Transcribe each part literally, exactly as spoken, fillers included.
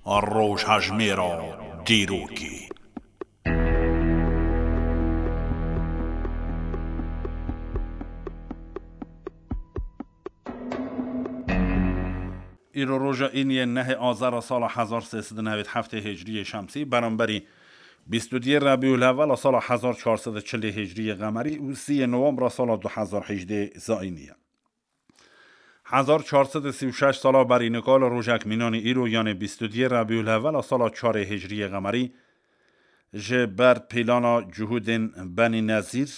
Rojhejmêra dîrokê. Îro roja îniyê nehê Azara sala hezar sê sed û newêd heftê Hicriyê Şemsî, beramberî bîst û duyê Rebîul Ewwela sala hezar çar sed û çilê Hicriyê Qemerî û sîyê Nowembra sala du hezar hejdê Zayînî ye. Hezar çar sed û sî û şeş sala berî nika li rojek mînanî îro, yanê bîst û duyê Rebîul Ewwela sala çarê Hicriyê Qemerî, ji ber pîlana cihûdên Benî Nezîr,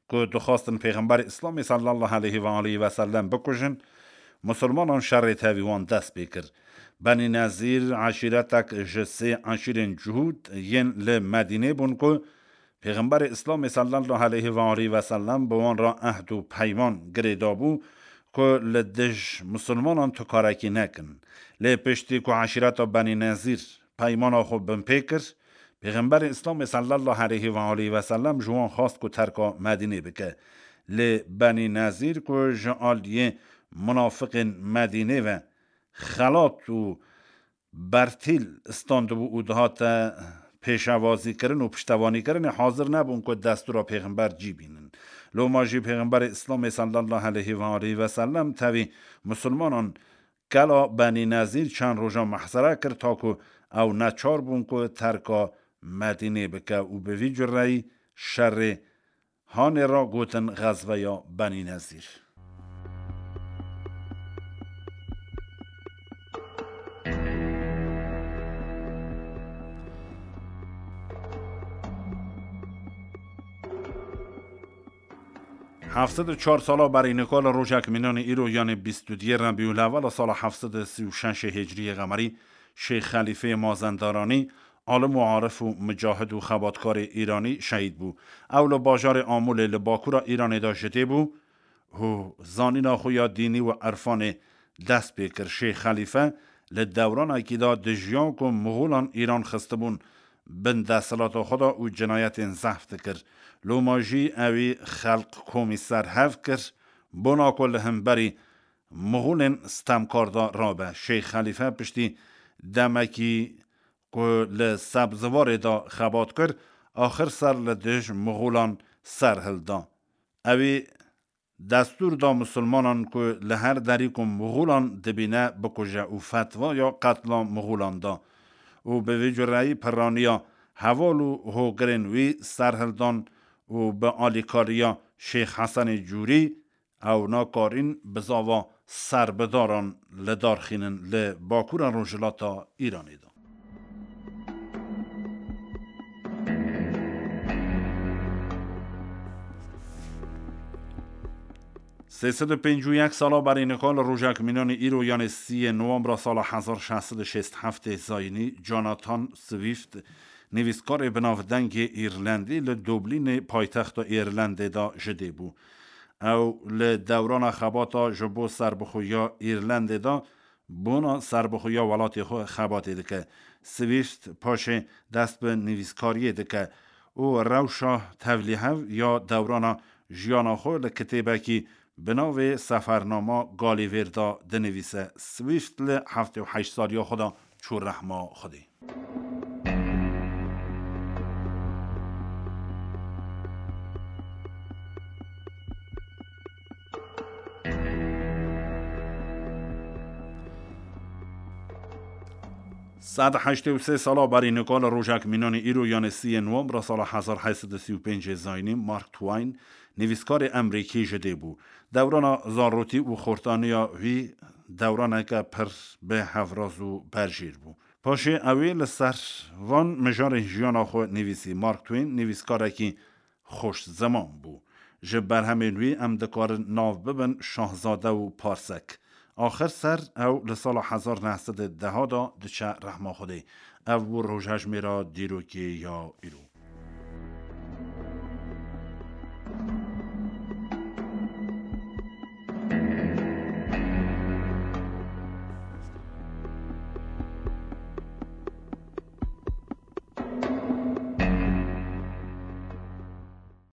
ku dixwastin Pêxemberê Îslamê sallallahu aleyhi ve aleyhi ve sellem bikujin, Musulmanan şerê tevî wan dest pê kir. Benî Nezîr eşîretek ji sê eşîrên cihûd yên li Medînê bûn ku Pêxemberê Îslamê sallallahu aleyhi ve aleyhi ve sellem bi wan re ehd û peyman girê dabû ku li dij Musulmanan tu karekî nekin. Lê piştî ku eşîreta Benî Nezîr peymana xwe binpê kir, Pêxemberê Îslamê sallallahu aleyhi ve aleyhi ve sellem ji wan xwest ku terka Medînê bike. Lê Benî Nezîr ku ji aliyê munafiqên Medînê ve xelat û bertîl standibû û dihate pêşevazîkirin û piştevanîkirinê, hazir nebûn ku destûra Pêxember cî bînin. Loma jî Pêxemberê Îslamê sallallahu aleyhi ve aleyhi ve sellem tevî Musulmanan kela Benî Nezîr çend roja mehsere kir, ta ku ew neçar bûn ku terka Medînê bike û bi vî cureyî şerê hanê re gotin Xezveya Benî Nezîr. Heft sed û çar sala berî nika li rojek mînanî îro, yanê bîst û duyê Rebîul Ewwela sala heft sed û sî û şeşê Hicriyê Qemerî, Şêx Xelîfeyê Mazendaranî, alim û arif û micahid û xebatkarê Îranî şehîd bû. Ew li bajarê Amûlê li bakûra Îranê de ji dê bû û zanîna xwe ya dînî û irfanê dest pê kir. Şêx Xelîfe li dewranekî de dijiya ku Mixûlan Îran xistibûn bin desthilata xwe de û cinayetên zehf dikir. Loma jî ewî xelq komî ser hev kir, bona ku li hemberî Mixûlên stemkar de rabe. Şêx Xelîfe piştî demekî ku li Sebziwarê de xebat kir, axir ser li dij Mixûlan ser hilda. Ewî destûr da Musulmanan ku li her derî ku Mixûlan dibîne bikuje û fetwaya qetla Mixûlan da û bi vî cureyî piraniya heval û hogirên wî ser hildan û bi alîkariya Şêx Hesenê Cûrî ew nakarîn bizava serbidaran li dar xînin li bakûra rojhilata Îranê de. Sê sed û pêncî û yek sala berî nika li rojek mînanî îro, yanê sîyê Nowembra sala hezar şeş sed û şêst heftê Zayînî, Jonathan Swift, nivîskarê binavdengê Îrlendî, li Dublînê, paytexta Îrlendê de ji dê bû. Ew li dewrana xebata ji bo serbixweya Îrlendê de bona serbixweya welatê xwe xebatê dike. Swift paşê dest bi nivîskariyê dike û rewşa tevlîhev ya dewrana jiyana xwe li kitêbekî bi navê Sefernama Galîvêr de dinivîse. Swift li heftê û heşt saliya xwe de çû rehma Xwedê. Sed heştê û sê sala berî nika li rojek mînanî îro, yanê sîyê Nowembra sala hezar heşt sed û sî û pêncê Zayînî, Mark Twain, nivîskarê Emrîkî ji dê bû. Dewrana zarotî û xortaniya wî dewraneke pir bi hevraz û berjêr bû. Paşê ewê li ser van mijarên jiyana xwe nivîsî. Mark Twain nivîskarekî xweş ziman bû. Ji berhemên wî em dikarin nav bibin Şahzade û Parsek. Axir ser ew li sala hezar neh sed û deh de diçe rehma Xwedê. Ev bû rojhejmêra dîrokê ya îro.